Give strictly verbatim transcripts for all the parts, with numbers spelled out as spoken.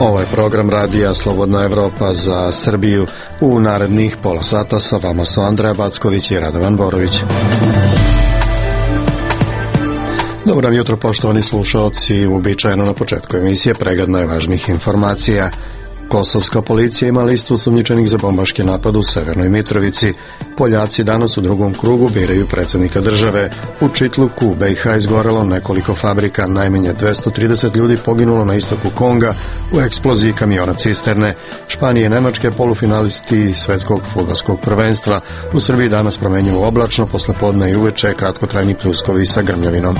Ovo je program radija Slobodna Evropa za Srbiju. U narednih pola sata sa vama su Andreja Backović i Radovan Borović. Dobro jutro, poštovani slušaoci. Uobičajeno na početku emisije pregled najvažnijih informacija. Kosovska policija ima listu osumnjičenih za bombaški napad u Severnoj Mitrovici. Poljaci danas u drugom krugu biraju predsjednika države. U Čitluku u B i H izgorelo nekoliko fabrika, najmanje dvesta trideset ljudi poginulo na istoku Konga u eksploziji kamiona cisterne. Španije i Nemačke polufinalisti svetskog fudbalskog prvenstva. U Srbiji danas promenjivo oblačno, posle podne i uveče kratkotrajni pljuskovi sa grmljavinom.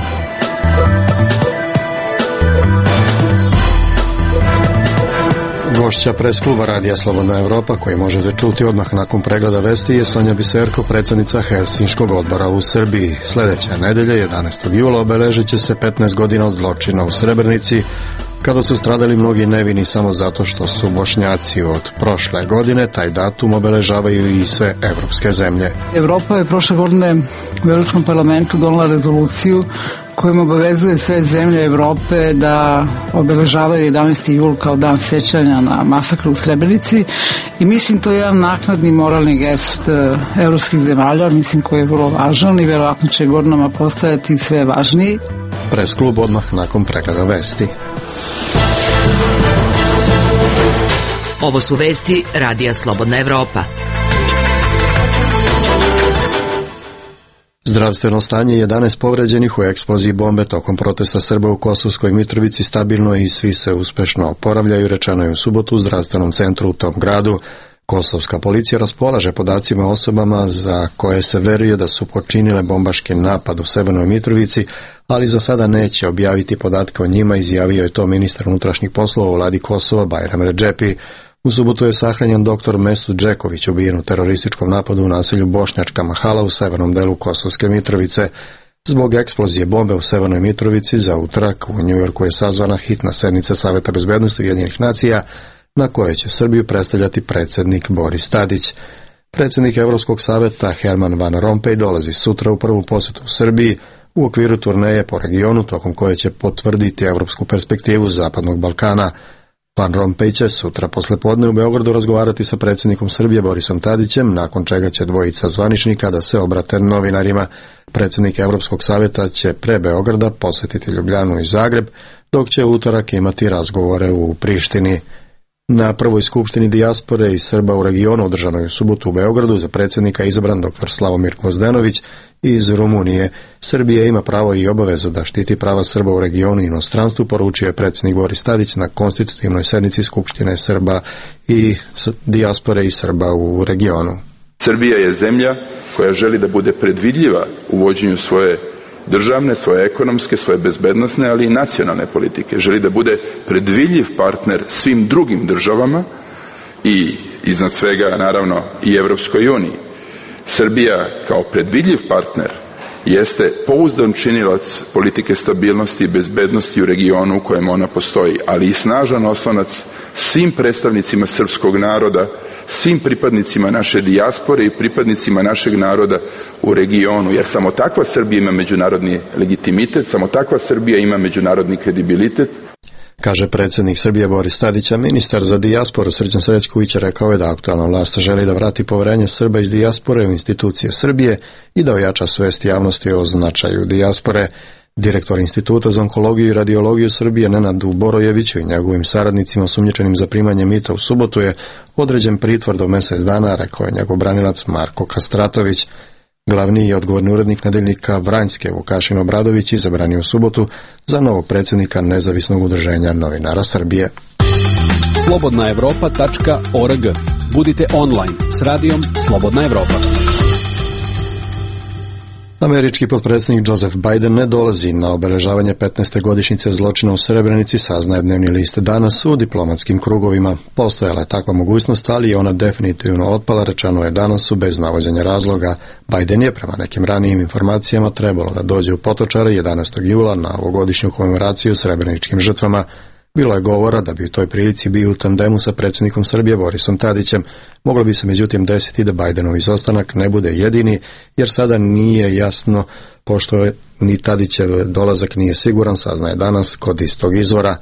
Gošća pres kluba radija Slobodna Evropa, koji možete čuti odmah nakon pregleda vesti, je Sonja Biserko, predsjednica Helsinškog odbora u Srbiji. Sljedeće nedelje, jedanaestog jula, obeležit će se petnaest godina od zločina u Srebrenici, kada su stradali mnogi nevini samo zato što su Bošnjaci. Od prošle godine taj datum obeležavaju i sve evropske zemlje. Evropa je prošle godine u Evropskom parlamentu donela rezoluciju kojim obavezuje sve zemlje Evrope da obeležavaju jedanaesti jul kao dan sjećanja na masakr u Srebrenici, i mislim to je jedan naknadni moralni gest evropskih zemalja, mislim koji je vrlo važan i vjerojatno će godinama postajati sve važniji. Pres klub odmah nakon pregleda vesti. Ovo su vesti radija Slobodna Evropa. Zdravstveno stanje jedanaest povređenih u eksploziji bombe tokom protesta Srba u Kosovskoj Mitrovici stabilno je i svi se uspešno oporavljaju, rečeno je u subotu u zdravstvenom centru u tom gradu. Kosovska policija raspolaže podacima o osobama za koje se veruje da su počinile bombaški napad u Severnoj Mitrovici, ali za sada neće objaviti podatke o njima, izjavio je to ministar unutrašnjih poslova u vladi Kosova Bajram Redžepi. U subotu je sahranjen doktor Mesut Džeković, ubijen u terorističkom napadu u naselju Bošnjačka Mahala u severnom delu Kosovske Mitrovice. Zbog eksplozije bombe u Severnoj Mitrovici za utorak u Njujorku je sazvana hitna sednica Saveta bezbednosti Ujedinjenih nacija, na kojoj će Srbiju predstavljati predsjednik Boris Tadić. Predsjednik Evropskog saveta Herman Van Rompuy dolazi sutra u prvu posjetu u Srbiji u okviru turneje po regionu, tokom koje će potvrditi evropsku perspektivu Zapadnog Balkana. Van Rompuy će sutra poslepodne u Beogradu razgovarati sa predsjednikom Srbije Borisom Tadićem, nakon čega će dvojica zvaničnika da se obrate novinarima. Predsjednik Evropskog savjeta će pre Beograda posjetiti Ljubljanu i Zagreb, dok će u utorak imati razgovore u Prištini. Na prvoj skupštini dijaspore i Srba u regionu, održanoj u subotu u Beogradu, za predsjednika izabran dr. Slavomir Gvozdenović iz Rumunije. Srbija ima pravo i obavezu da štiti prava Srba u regionu i inostranstvu, poručio je predsjednik Boris Tadić na konstitutivnoj sednici Skupštine Srba i dijaspore i Srba u regionu. Srbija je zemlja koja želi da bude predvidljiva u vođenju svoje državne, svoje ekonomske, svoje bezbednosne, ali i nacionalne politike. Želi da bude predvidljiv partner svim drugim državama i iznad svega naravno i Evropskoj uniji. Srbija kao predvidljiv partner jeste pouzdan činilac politike stabilnosti i bezbednosti u regionu u kojem ona postoji, ali i snažan oslonac svim predstavnicima srpskog naroda, svim pripadnicima naše dijaspore i pripadnicima našeg naroda u regionu, jer samo takva Srbija ima međunarodni legitimitet, samo takva Srbija ima međunarodni kredibilitet. Kaže predsjednik Srbije Boris Tadić, a ministar za dijasporu Srđan Srećković rekao je da aktualna vlast želi da vrati poverenje Srba iz dijaspore u institucije Srbije i da ojača svest javnosti o značaju dijaspore. Direktor Instituta za onkologiju i radiologiju Srbije Nenad Borojević i njegovim saradnicima osumnjičenim za primanje mita u subotu je određen pritvor do mjesec dana, rekao je njegov branilac Marko Kastratović. Glavni i odgovorni urednik nedeljnika Vranjske Vukašin Obradović izabran je u subotu za novog predsjednika Nezavisnog udruženja novinara Srbije. slobodna evropa tačka org. Budite online s radijom Slobodna Evropa. Američki potpredsjednik Joseph Biden ne dolazi na obeležavanje petnaeste godišnjice zločina u Srebrenici, saznaje dnevni list danas u diplomatskim krugovima. Postojala je takva mogućnost, ali je ona definitivno otpala, rečeno je danas bez navođenja razloga. Biden je, prema nekim ranijim informacijama, trebalo da dođe u Potočare jedanaestog jula na ovogodišnju komemoraciju srebreničkim žrtvama. Bilo je govora da bi u toj prilici bio u tandemu sa predsjednikom Srbije Borisom Tadićem. Moglo bi se međutim desiti da Bidenov izostanak ne bude jedini, jer sada nije jasno, pošto je ni Tadićev dolazak nije siguran, saznaje danas kod istog izvora.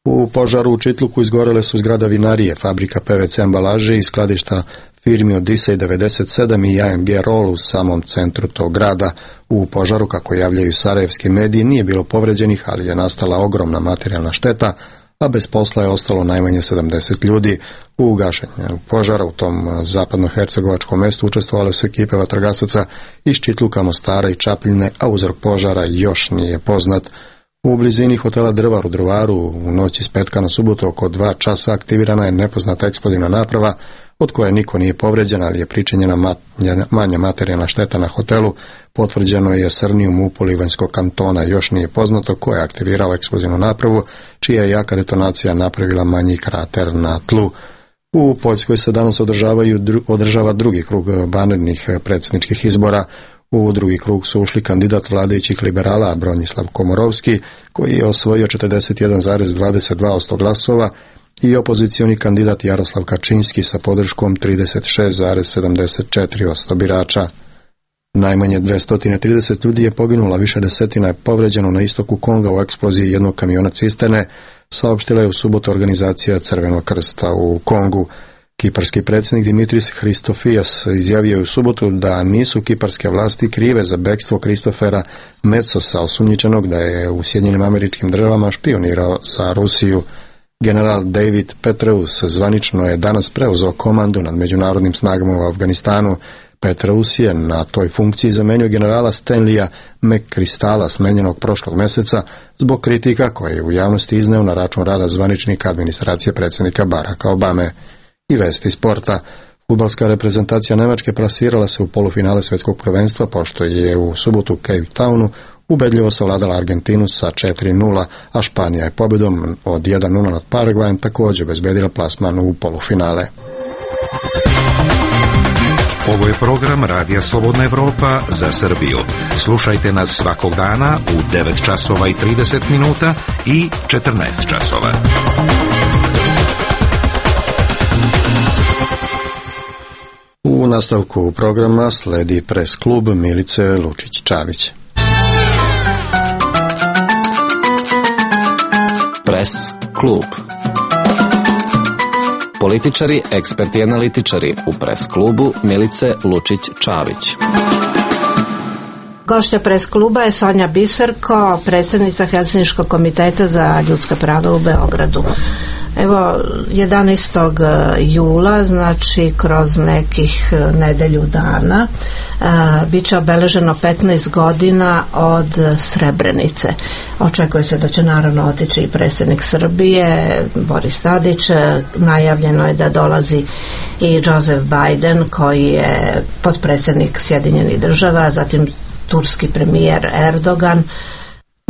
U požaru u Čitluku izgorele su zgrada vinarije, fabrika P V C ambalaže i skladišta firmi Odisej devedeset sedam i A M G Roll u samom centru tog grada. U požaru, kako javljaju sarajevski mediji, nije bilo povređenih, ali je nastala ogromna materijalna šteta, a bez posla je ostalo najmanje sedamdeset ljudi. U gašenju požara u tom zapadnohercegovačkom mestu učestvovale su ekipe vatrogasaca iz Čitluka, Mostara i Čapljine, a uzrok požara još nije poznat. U blizini hotela Drvar u Drvaru u noći s petka na subotu oko dva časa aktivirana je nepoznata eksplozivna naprava od koje niko nije povređen, ali je pričinjena manja materijalna šteta na hotelu. Potvrđeno je Srni u MUP-u Livanjskog kantona. Još nije poznato ko je aktivirao eksplozivnu napravu, čija je jaka detonacija napravila manji krater na tlu. U Poljskoj se danas održavaju, održava drugi krug vanrednih predsjedničkih izbora. U drugi krug su ušli kandidat vladajućih liberala Bronislav Komorovski, koji je osvojio četrdeset jedan zarez dvadeset dva posto glasova, i opozicioni kandidat Jaroslav Kačinski sa podrškom trideset šest zarez sedamdeset četiri posto birača. Najmanje dvesta trideset ljudi je poginulo, više desetina je povređeno na istoku Konga u eksploziji jednog kamiona cisterne, saopštila je u subotu organizacija Crvenog krsta u Kongu. Kiparski predsjednik Dimitris Hristofijas izjavio je u subotu da nisu kiparske vlasti krive za bekstvo Kristofera Metsosa, osumnjičenog da je u Sjedinjenim Američkim Državama špionirao za Rusiju. General David Petraeus zvanično je danas preuzeo komandu nad međunarodnim snagama u Afganistanu. Petraeus je na toj funkciji zamenio generala Stanleya McChrystala, smenjenog prošlog mjeseca zbog kritika koje je u javnosti izneo na račun rada zvaničnika administracije predsjednika Baracka Obame. I vesti sporta. Fudbalska reprezentacija Nemačke plasirala se u polufinale svjetskog prvenstva, pošto je u subotu u Cape Townu ubedljivo savladala Argentinu sa četiri nula, a Španija je pobjedom od jedan nula nad Paragvajem također obezbedila plasman u polufinale. Ovo je program Radija Slobodna Evropa za Srbiju. Slušajte nas svakog dana u devet časova i trideset minuta i četrnaest časova. U nastavku programa sledi pres klub Milice Lučić-Čavić. Pres klub. Političari, eksperti i analitičari u pres klubu Milice Lučić-Čavić. Gošća pres kluba je Sonja Biserko, predsjednica Helsinškog komiteta za ljudska prava u Beogradu. Evo, jedanaestog jula, znači kroz nekih nedelju dana, bit će obeleženo petnaest godina od Srebrenice. Očekuje se da će naravno otići i predsjednik Srbije, Boris Tadić. Najavljeno je da dolazi i Joseph Biden, koji je potpredsjednik Sjedinjenih Država, zatim turski premijer Erdogan.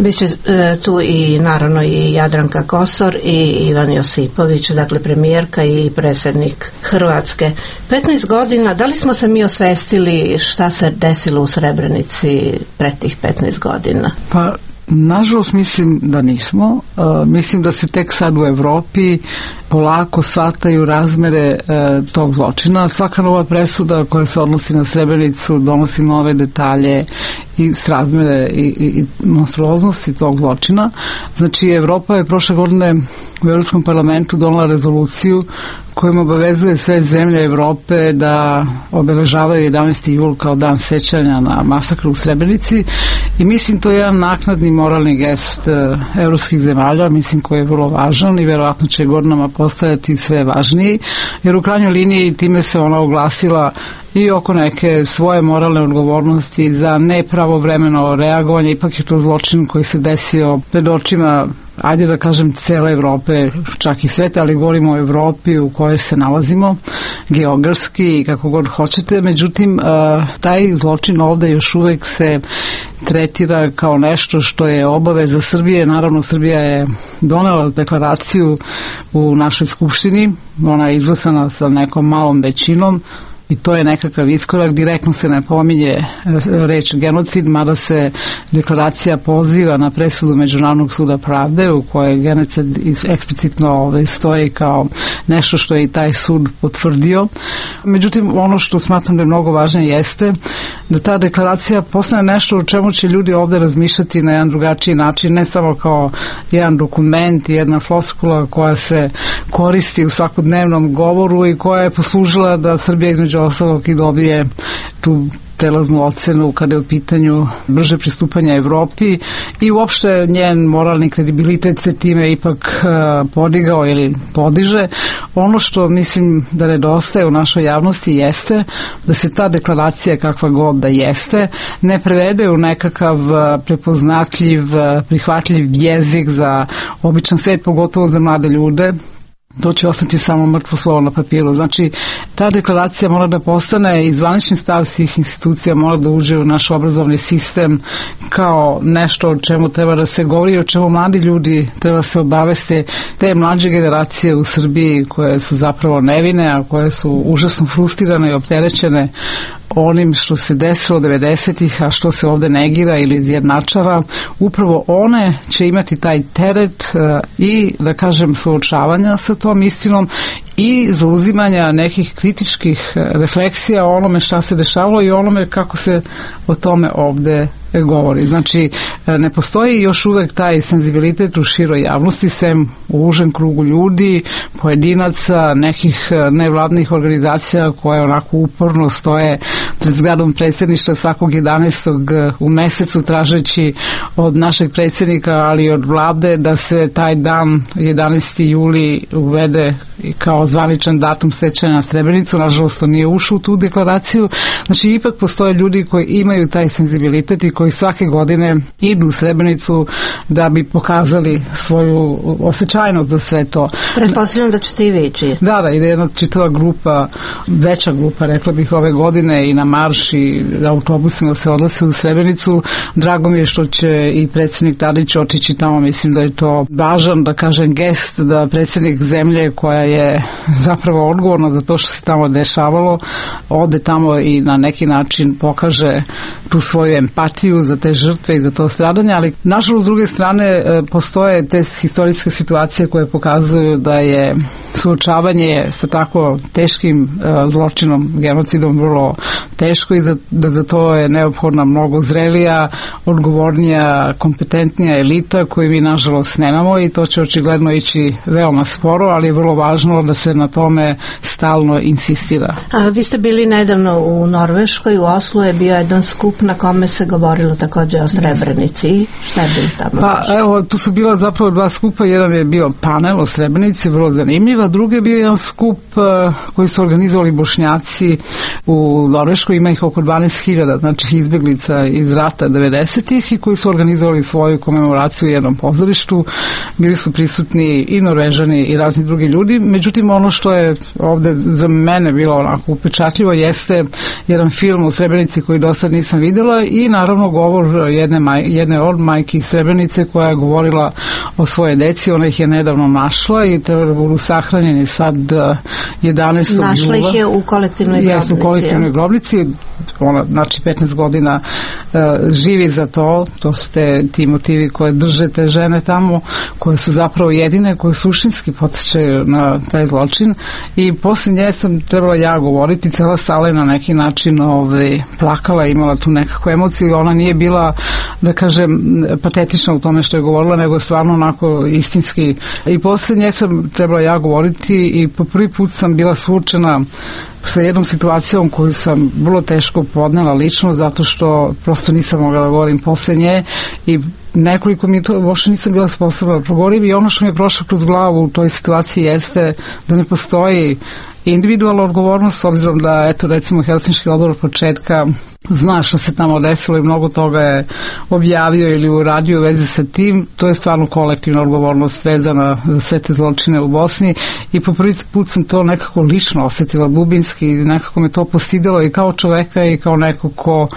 Biće e, tu i naravno i Jadranka Kosor i Ivan Josipović, dakle premijerka i predsjednik Hrvatske. petnaest godina, da li smo se mi osvestili šta se desilo u Srebrenici pred tih petnaest godina? Pa, nažalost mislim da nismo. E, mislim da se tek sad u Evropi polako shvataju razmere e, tog zločina. Svaka nova presuda koja se odnosi na Srebrenicu donosi nove detalje i srazmere i, i, i monstruoznosti tog zločina. Znači, Evropa je prošle godine u Evropskom parlamentu donela rezoluciju kojom obavezuje sve zemlje Evrope da obeležavaju jedanaesti jul kao dan sećanja na masakr u Srebrenici, i mislim to je jedan naknadni moralni gest e, evropskih zemalja, mislim koji je vrlo važan i verovatno će godinama postajati sve važniji, jer u krajnjoj liniji time se ona oglasila i oko neke svoje moralne odgovornosti za nepravovremeno reagovanje. Ipak je to zločin koji se desio pred očima, ajde da kažem, cele Evrope, čak i sveta, ali govorimo o Evropi u kojoj se nalazimo, geografski i kako god hoćete. Međutim, taj zločin ovde još uvek se tretira kao nešto što je obaveza Srbije. Naravno, Srbija je donela deklaraciju u našoj skupštini, ona je izglasana sa nekom malom većinom, i to je nekakav iskorak. Direktno se ne pominje reč genocid, mada se deklaracija poziva na presudu Međunarodnog suda pravde u kojoj genocid eksplicitno stoji kao nešto što je i taj sud potvrdio. Međutim, ono što smatram da je mnogo važno jeste da ta deklaracija postane nešto o čemu će ljudi ovde razmišljati na jedan drugačiji način, ne samo kao jedan dokument, jedna floskula koja se koristi u svakodnevnom govoru i koja je poslužila da Srbija između ostalog i dobije tu prelaznu ocenu kada je u pitanju brže pristupanja Evropi i uopšte njen moralni kredibilitet se time ipak uh, podigao ili podiže. Ono što mislim da nedostaje u našoj javnosti jeste da se ta deklaracija, kakva god da jeste, ne prevede u nekakav prepoznatljiv, prihvatljiv jezik za običan svet, pogotovo za mlade ljude. To će ostati samo mrtvo slovo na papiru. Znači, ta deklaracija mora da postane i zvanični stav svih institucija, mora da uđe u naš obrazovni sistem kao nešto o čemu treba da se govori, o čemu mladi ljudi treba da se obaveste, te mlađe generacije u Srbiji koje su zapravo nevine, a koje su užasno frustrirane i opterećene onim što se desilo devedesetih, a što se ovde negira ili izjednačava, upravo one će imati taj teret uh, i, da kažem, suočavanja sa tom istinom i zauzimanja nekih kritičkih refleksija o onome šta se dešavalo i onome kako se o tome ovde govori. Znači, ne postoji još uvek taj senzibilitet u široj javnosti, sem u užem krugu ljudi, pojedinaca, nekih nevladnih organizacija koje onako uporno stoje pred zgradom predsjedništva svakog jedanaestog u mesecu tražeći od našeg predsjednika, ali i od vlade da se taj dan jedanaesti juli uvede kao zvaničan datum sećanja na Srebrenicu. Nažalost, to nije ušlo u tu deklaraciju. Znači, ipak postoje ljudi koji imaju taj senzibilitet i koji svake godine idu u Srebrenicu da bi pokazali svoju osjećajnost za sve to. Pretpostavljam da ćete i vi ići. Da, da, ide jedna čitava grupa, veća grupa, rekla bih, ove godine i na marš i autobusima se odlase u Srebrenicu. Drago mi je što će i predsjednik Tadić otići tamo. Mislim da je to važan, da kažem, gest da predsjednik zemlje koja je zapravo odgovorna za to što se tamo dešavalo, ode tamo i na neki način pokaže tu svoju empatiju za te žrtve i za to stradanje, ali nažalost s druge strane postoje te historijske situacije koje pokazuju da je suočavanje sa tako teškim zločinom, genocidom vrlo teško i za, da za to je neophodna mnogo zrelija, odgovornija, kompetentnija elita koju mi nažalost nemamo i to će očigledno ići veoma sporo, ali je vrlo važno da se na tome stalno insistira. A vi ste bili nedavno u Norveškoj, u Oslu je bio jedan skup na kome se govorilo takođe o Srebrenici. Šta je bilo tamo? Pa evo, tu su bila zapravo dva skupa, jedan je bio panel o Srebrenici, vrlo zanimljiv, a drugi je bio jedan skup uh, koji su organizovali Bošnjaci u Norveškoj, ima ih oko dvanaest hiljada, znači izbeglica iz rata devedesetih i koji su organizovali svoju komemoraciju u jednom pozorištu. Bili su prisutni i Norvežani i razni drugi ljudi, međutim ono što je ovde za mene bilo onako upečatljivo jeste jedan film o Srebrenici koji do sad nisam videla i naravno govor jedne, maj, jedne od majki Srebrenice koja je govorila o svoje deci, ona ih je nedavno našla i treba da budu sahranjeni sad jedanaestog jula. Našla ih je u kolektivnoj grobnici. Jeste, u kolektivnoj grobnici. Ona, znači, petnaest godina uh, živi za to. To su te, ti motivi koje drže te žene tamo, koje su zapravo jedine, koje suštinski podsjećaju na taj zločin. I posle nje sam trebala ja govoriti, cela sala je na neki način ovaj, plakala, imala tu nekakvu emociju i ona nije bila, da kažem, patetična u tome što je govorila, nego stvarno onako istinski. I posle nje sam trebala ja govoriti i po prvi put sam bila suočena sa jednom situacijom koju sam vrlo teško podnela lično, zato što prosto nisam mogla da govorim posle nje i nekoliko minuta uopšte nisam bila sposobna da progovorim i ono što mi je prošlo kroz glavu u toj situaciji jeste da ne postoji individualna odgovornost, s obzirom da, eto, recimo, Helsinški odbor od početka zna što se tamo desilo i mnogo toga je objavio ili uradio u vezi sa tim. To je stvarno kolektivna odgovornost vezana za sve te zločine u Bosni i po prvi put sam to nekako lično osetila, dubinski, i nekako me to postidelo i kao čoveka i kao neko ko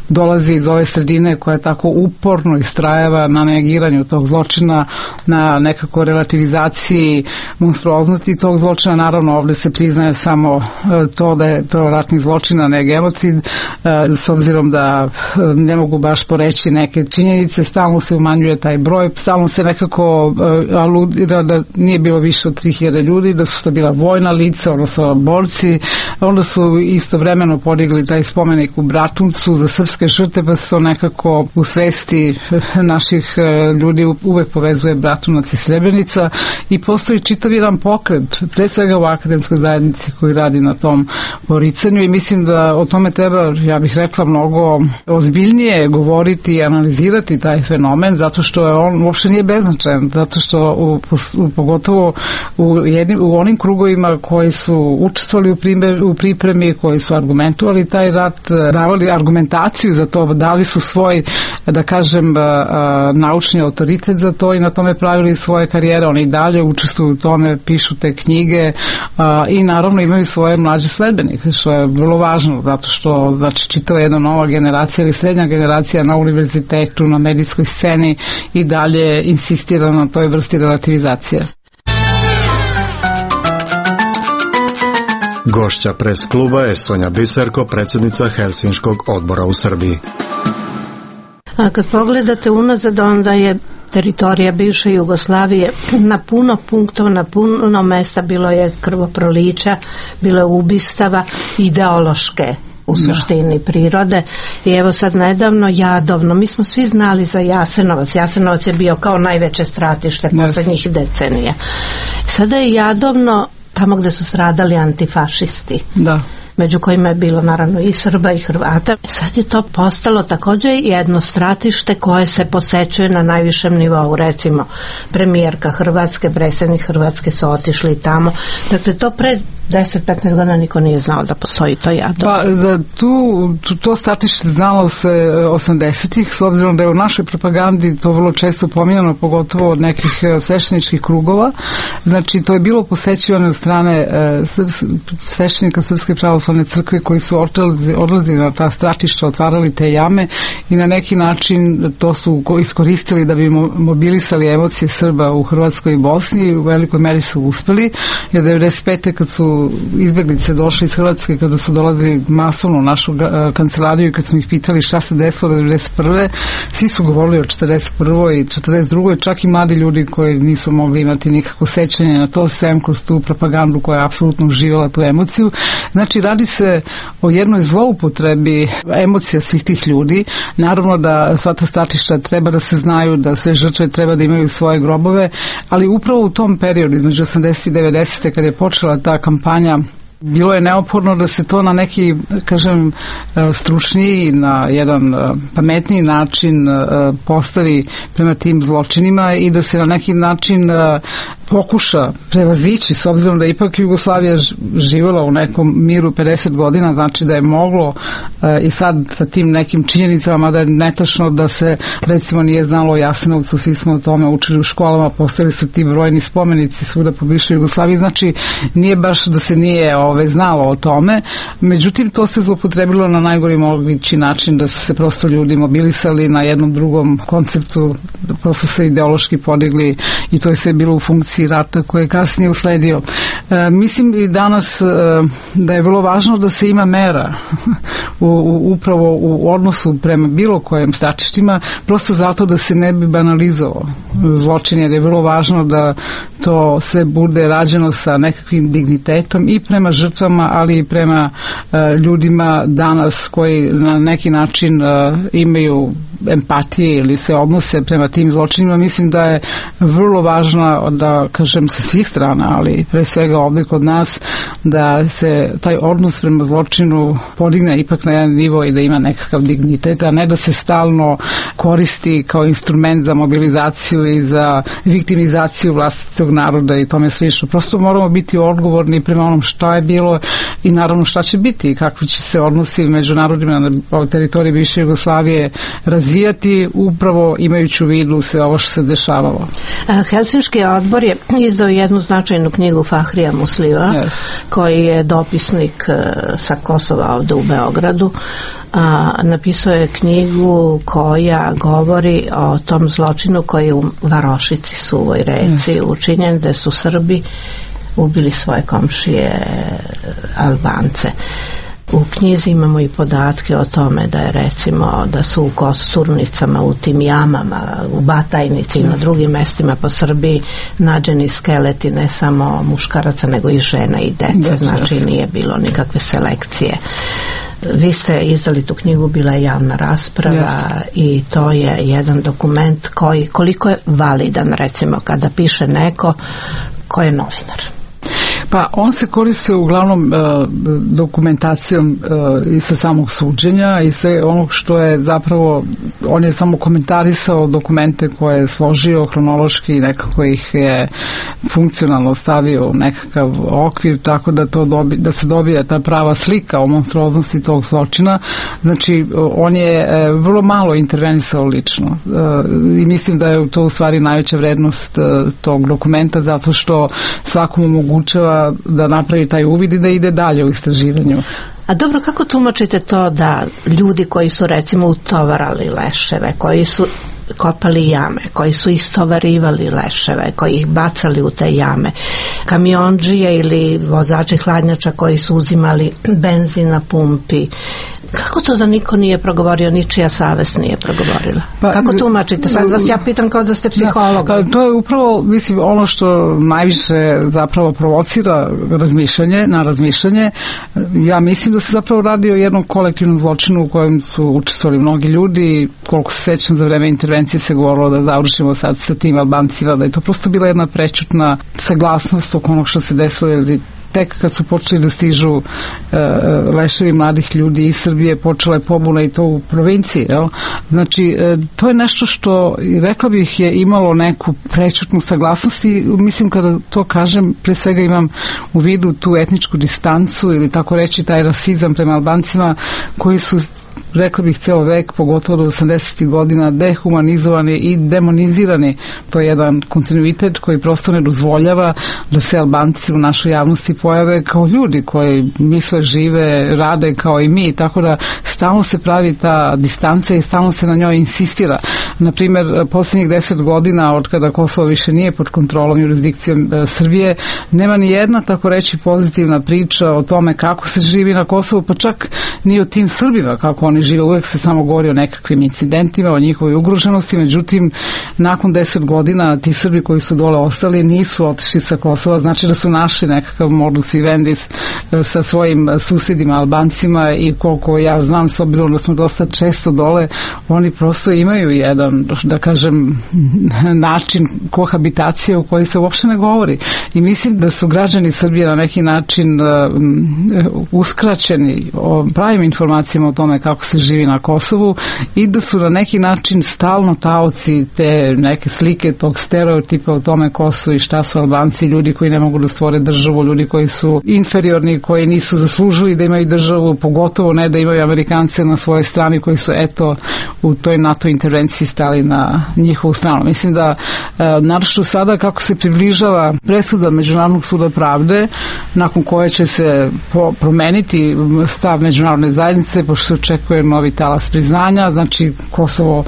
dolazi iz ove sredine koja je tako uporno istrajeva na negiranju tog zločina, na nekako relativizaciji monstruoznosti tog zločina. Naravno, ovde se priznaje samo to da je to ratni zločin, a ne genocid. s obzirom da ne mogu baš poreći neke činjenice, stalno se umanjuje taj broj, stalno se nekako aludira da nije bilo više od tri hiljade ljudi, da su to bila vojna lica, odnosno borci. Onda su istovremeno podigli taj spomenik u Bratuncu za srpske žrtve, pa se to nekako u svesti naših ljudi uvek povezuje Bratunac i Srebrenica i postoji čitav jedan pokret, pre svega u akademskoj zajednici koji radi na tom poricanju i mislim da o tome treba, ja bih rekla, mnogo ozbiljnije govoriti i analizirati taj fenomen, zato što je on uopšte nije beznačajan, zato što u, u, pogotovo u, jednim, u onim krugovima koji su učestvovali u, primer, u pripremi, koji su argumentovali taj rat, davali argumentaciju za to, dali su svoj, da kažem, naučni autoritet za to i na tome pravili svoje karijere, oni dalje učestvuju u tome, pišu te knjige i naravno imaju svoje mlađe sledbenike, što je vrlo važno, zato što znači čitava jedna nova generacija ili srednja generacija na univerzitetu, na medijskoj sceni i dalje insistira na toj vrsti relativizacije. Gošća pres kluba je Sonja Biserko, predsjednica Helsinškog odbora u Srbiji. A kad pogledate unazad, onda je teritorija bivše Jugoslavije na puno punktova, na puno mesta bilo je krvoprolića, bilo je ubistava ideološke u suštini prirode i evo sad nedavno Jadovno, mi smo svi znali za Jasenovac, Jasenovac je bio kao najveće stratište poslednjih decenija. Sada je Jadovno tamo gde su stradali antifašisti. Da. Među kojima je bilo naravno i Srba i Hrvata. Sad je to postalo takođe jedno stratište koje se posećuje na najvišem nivou. Recimo, premijerka Hrvatske, predsjednik Hrvatske su otišli tamo. Dakle, to pre deset petnaest godina niko nije znao da postoji to Jadovno. Pa, da, tu, tu, to stratište znalo se osamdesetih, s obzirom da je u našoj propagandi to vrlo često pominjano, pogotovo od nekih svešteničkih krugova. Znači, to je bilo posećivano od strane e, sveštenika Srpske pravoslavne crkve koji su odlazili, odlazili na ta stratišta, otvarali te jame i na neki način to su iskoristili da bi mobilisali emocije Srba u Hrvatskoj i Bosni. U velikoj meri su uspeli, jer devedeset pete kad su izbeglice došli iz Hrvatske, kada su dolazili masovno u našu kancelariju i kad smo ih pitali šta se desilo devedeset prve svi su govorili o četrdeset prvoj i četrdeset drugoj čak i mladi ljudi koji nisu mogli imati nikakvo sećanje na to, sem kroz tu propagandu koja je apsolutno uživala tu emociju. Znači, radi se o jednoj zloupotrebi emocija svih tih ljudi. Naravno da sva ta stratišta treba da se znaju, da sve žrtve treba da imaju svoje grobove, ali upravo u tom periodu, između osamdeset i devedeset kada je počela ta kampanja, bilo je neophodno da se to na neki, kažem, stručniji, na jedan pametniji način postavi prema tim zločinima i da se na neki način pokuša prevazići, s obzirom da ipak Jugoslavija živjela u nekom miru pedeset godina, znači da je moglo i sad sa tim nekim činjenicama, da je netačno da se recimo nije znalo o Jasenovcu, svi smo o tome učili u školama, postavili su ti brojni spomenici svuda po bivšoj Jugoslaviji, znači nije baš da se nije ove, znalo o tome, međutim to se zloupotrebilo na najgori mogući način, da su se prosto ljudi mobilisali na jednom drugom konceptu, da prosto se ideološki podigli i to je sve bilo u funkciji rata koji je kasnije usledio. E, mislim i danas e, da je vrlo važno da se ima mera u, u, upravo u odnosu prema bilo kojem stratištima, prosto zato da se ne bi banalizovao zločin, jer je vrlo važno da to sve bude rađeno sa nekakvim dignitetom i prema žrtvama, ali i prema e, ljudima danas koji na neki način e, imaju empatije ili se odnose prema tim zločinima. Mislim da je vrlo važno da, kažem, sa svih strana, ali pre svega ovde kod nas, da se taj odnos prema zločinu podigne ipak na jedan nivo i da ima nekakav dignitet, a ne da se stalno koristi kao instrument za mobilizaciju i za viktimizaciju vlastitog naroda i tome slično. Prosto moramo biti odgovorni prema onom šta je bilo i naravno šta će biti i kakvi će se odnosi među narodima na teritoriji bivše Jugoslavije razvijati, upravo imajući u vidu sve ovo što se dešavalo. Helsinški odbor je izdao jednu značajnu knjigu Fahrija Musliva, yes. koji je dopisnik sa Kosova ovde u Beogradu. A, napisao je knjigu koja govori o tom zločinu koji je u Varošici, Suvoj reci, yes. učinjen, da su Srbi ubili svoje komšije Albance. U knjizi imamo i podatke o tome da je recimo da su u kosturnicama, u tim jamama, u Batajnici i na drugim mestima po Srbiji nađeni skeleti ne samo muškaraca nego i žena i dece, znači nije bilo nikakve selekcije. Vi ste izdali tu knjigu, bila je javna rasprava. Jeste. I to je jedan dokument koji koliko je validan recimo kada piše neko ko je novinar. Pa on se koristio uglavnom e, dokumentacijom e, i sa samog suđenja i sve onog što je zapravo, on je samo komentarisao dokumente koje je složio hronološki i nekako ih je funkcionalno stavio u nekakav okvir tako da, to dobi, da se dobije ta prava slika o monstruoznosti tog zločina. Znači on je e, vrlo malo intervenisao lično e, i mislim da je to u stvari najveća vrednost e, tog dokumenta zato što svakom omogućava da napravi taj uvid i da ide dalje u istraživanju. A dobro, kako tumačite to da ljudi koji su recimo utovarali leševe, koji su kopali jame, koji su istovarivali leševe, koji ih bacali u te jame, kamiondžije ili vozači hladnjača koji su uzimali benzin na pumpi, kako to da niko nije progovorio, ničija savest nije progovorila? Pa, kako tumačite? Sad vas ja pitam kao da ste psiholog. Da, to je upravo, mislim, ono što najviše zapravo provocira razmišljanje, na razmišljanje. Ja mislim da se zapravo radi o jednom kolektivnom zločinu u kojem su učestvovali mnogi ljudi. Koliko se sećam, za vreme intervencije se govorilo da završimo sad sa tim Albancima, da je to prosto bila jedna prečutna saglasnost oko onog što se desilo, jer tek kad su počeli da stižu e, leševi mladih ljudi iz Srbije, počela je pobuna i to u provinciji. Jel? Znači, e, to je nešto što, rekla bih, je imalo neku prečutnu saglasnost i mislim kada to kažem, pre svega imam u vidu tu etničku distancu ili tako reći taj rasizam prema Albancima koji su, rekla bih, ceo vek, pogotovo do osamdesetih godina, dehumanizovani i demonizirani. To je jedan kontinuitet koji prosto ne dozvoljava da se Albanci u našoj javnosti pojave kao ljudi koji misle, žive, rade kao i mi, tako da stalno se pravi ta distanca i stalno se na njoj insistira. Naprimer, posljednjih deset godina od kada Kosovo više nije pod kontrolom jurisdikcijom e, Srbije, nema ni jedna, tako reći, pozitivna priča o tome kako se živi na Kosovu, pa čak ni o tim Srbima, kako oni žive. Uvek se samo govori o nekakvim incidentima, o njihovoj ugroženosti, međutim, nakon deset godina ti Srbi koji su dole ostali nisu otišli sa Kosova, znači da su našli nekakav modus vivendi sa svojim susedima Albancima i koliko ja znam, s obzirom da smo dosta često dole, oni prosto imaju jedan, da kažem, način kohabitacije u kojoj se uopšte ne govori. I mislim da su građani Srbije na neki način uh, uskraćeni o pravim informacijama o tome kako se živi na Kosovu i da su na neki način stalno taoci te neke slike, tog stereotipa o tome ko su i šta su Albanci, ljudi koji ne mogu da stvore državu, ljudi koji su inferiorni, koji nisu zaslužili da imaju državu, pogotovo ne da imaju Amerikance na svojoj strani koji su eto u toj NATO intervenciji stali na njihovu stranu. Mislim da e, naročito sada kako se približava presuda Međunarodnog suda pravde, nakon koje će se po, promeniti stav međunarodne zajednice, pošto se očekuje novi talas priznanja, znači Kosovo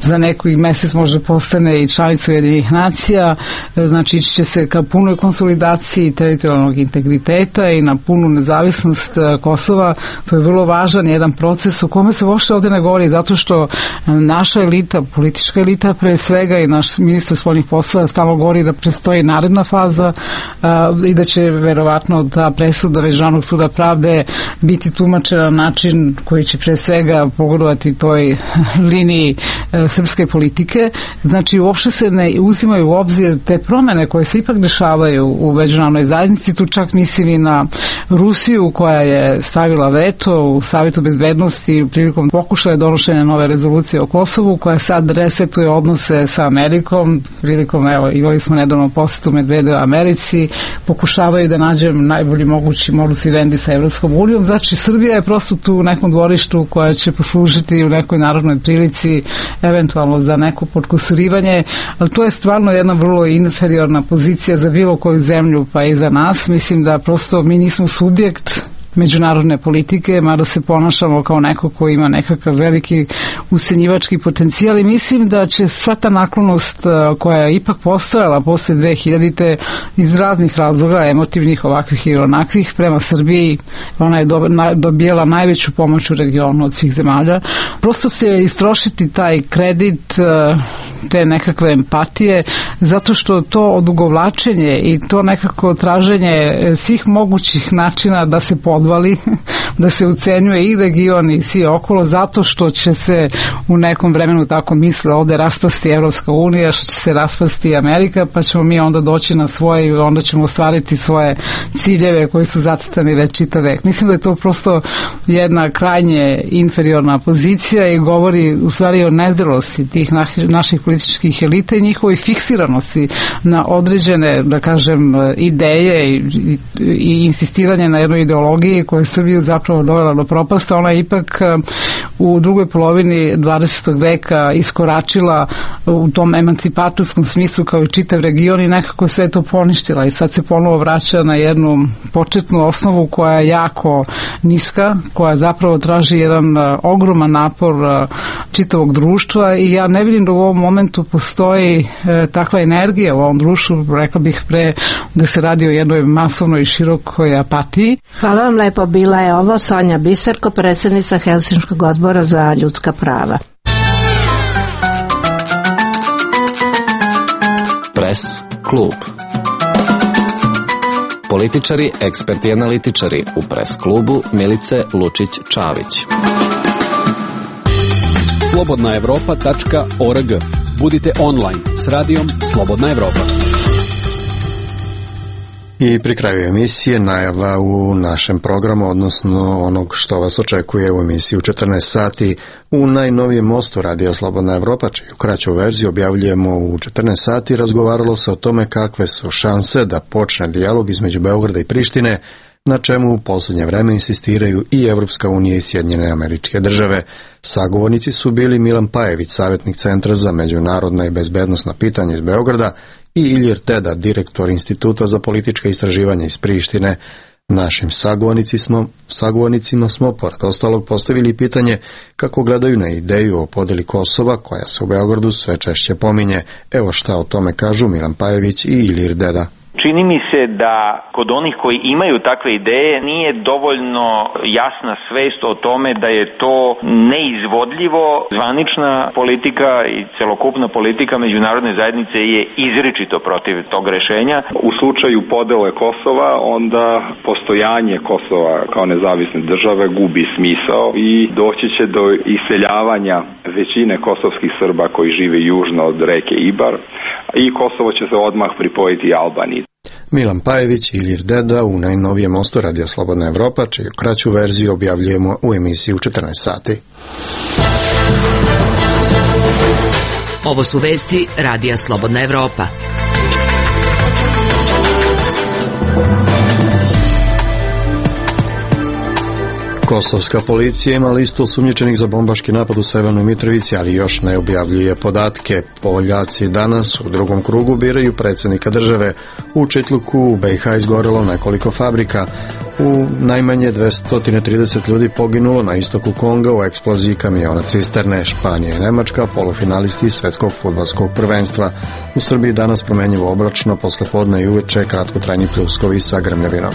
za neki mesec možda postane i članica Ujedinjenih nacija, znači ići će se ka punoj konsolidaciji teritorijalnog integriteta i na punu nezavisnost Kosova. To je vrlo važan jedan proces u kome se uopšte ovde ne govori, zato što naša elita, politička elita pre svega i naš ministar spoljnih poslova stalno govori da predstoji naredna faza a, i da će verovatno ta presuda Međunarodnog suda pravde biti tumačena na način koji će pre svega pogodovati toj liniji srpske politike. Znači uopšte se ne uzimaju u obzir te promene koje se ipak dešavaju u međunarodnoj zajednici. Tu čak mislim i na Rusiju koja je stavila veto u Savetu bezbednosti prilikom pokušaja donošenja nove rezolucije o Kosovu, koja sad resetuje odnose sa Amerikom prilikom, evo, imali smo nedavno posetu Medvedeva Americi, pokušavaju da nađem najbolji mogući modus vivendi sa Evropskom unijom. Znači Srbija je prosto tu u nekom dvorištu koja će poslužiti u nekoj narodnoj prilici eventualno za neko podkusurivanje, ali to je stvarno jedna vrlo inferiorna pozicija za bilo koju zemlju, pa i za nas. Mislim da prosto mi nismo subjekt međunarodne politike, mada se ponašamo kao neko ko ima nekakav veliki ucenjivački potencijal i mislim da će sva ta naklonost koja je ipak postojala posle dve hiljadite iz raznih razloga, emotivnih, ovakvih i onakvih, prema Srbiji, ona je dobijela najveću pomoć u regionu od svih zemalja. Prosto se istrošiti taj kredit, te nekakve empatije, zato što to odugovlačenje i to nekako traženje svih mogućih načina da se podvali, da se ucenjuje i region i svi okolo, zato što će se u nekom vremenu, tako misle, ovde raspasti Evropska unija, što će se raspasti Amerika, pa ćemo mi onda doći na svoje i onda ćemo ostvariti svoje ciljeve koji su zacrtani već čitav vek. Mislim da je to prosto jedna krajnje inferiorna pozicija i govori u stvari o nezrelosti tih naših političkih elita i njihovoj fiksiranosti na određene, da kažem, ideje i, i, i insistiranje na jednoj ideologiji koja je Srbiju zapravo dovela do propasta. Ona je ipak u drugoj polovini dvadesetog veka iskoračila u tom emancipatorskom smislu kao i čitav region i nekako sve to poništila i sad se ponovo vraća na jednu početnu osnovu koja je jako niska, koja zapravo traži jedan ogroman napor čitavog društva i ja ne vidim da u ovom momentu postoji e, takva energija u ovom društvu, rekla bih pre da se radi o jednoj masovnoj i širokoj apatiji. Hvala vam lepo, bila je ovo Sonja Biserko, predsjednica Helsinškog odbora za ljudska prava. Pres klub. Političari, eksperti i analitičari u Pres klubu Milice Lučić-Čavić. slobodna evropa tačka org. Budite online s radijom Slobodna Evropa. I pri kraju emisije najava u našem programu, odnosno onog što vas očekuje u emisiji u četrnaest sati. U najnovijem mostu Radija Slobodna Evropa, čiju kraću verziju objavljujemo u četrnaest sati, razgovaralo se o tome kakve su šanse da počne dijalog između Beograda i Prištine, na čemu u posljednje vreme insistiraju i Evropska unija i Sjedinjene Američke Države. Sagovornici su bili Milan Pajević, savjetnik Centra za međunarodna i bezbednosna pitanja iz Beograda, i Ilir Teda, direktor Instituta za politička istraživanja iz Prištine. Našim sagovornici smo, sagovornicima smo, pored ostalog, postavili pitanje kako gledaju na ideju o podeli Kosova, koja se u Beogradu sve češće pominje. Evo šta o tome kažu Milan Pajević i Ilir Deda. Čini mi se da kod onih koji imaju takve ideje nije dovoljno jasna svest o tome da je to neizvodljivo. Zvanična politika i celokupna politika međunarodne zajednice je izričito protiv tog rešenja. U slučaju podele Kosova onda postojanje Kosova kao nezavisne države gubi smisao i doći će do iseljavanja većine kosovskih Srba koji žive južno od reke Ibar i Kosovo će se odmah pripojiti Albaniji. Milan Pajević i Ilir Deda u najnovijem mostu Radija Slobodna Evropa, čiju kraću verziju objavljujemo u emisiji u četrnaest sati. Ovo su vesti Radija Slobodna Evropa. Kosovska policija ima listu osumnjičenih za bombaški napad u Severnoj Mitrovici, ali još ne objavljuje podatke. Poljaci danas u drugom krugu biraju predsjednika države. U Čitluku u B i H izgorelo nekoliko fabrika. U najmanje dvesta trideset ljudi poginulo na istoku Konga u eksploziji kamiona cisterne. Španija i Nemačka polufinalisti svetskog fudbalskog prvenstva. U Srbiji danas promenjivo oblačno, posle podne i uveče kratkotrajni pljuskovi sa grmljavinom.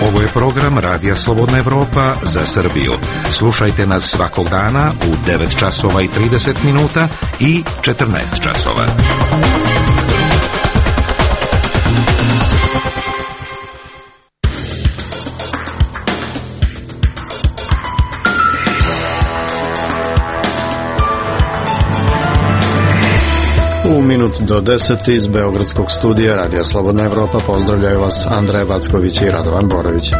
Ovo je program Radija Slobodna Evropa za Srbiju. Slušajte nas svakog dana u devet časova i trideset minuta i četrnaest časova. U minut do deset iz Beogradskog studija Radija Slobodna Evropa pozdravljaju vas Andreja Backović i Radovan Borović.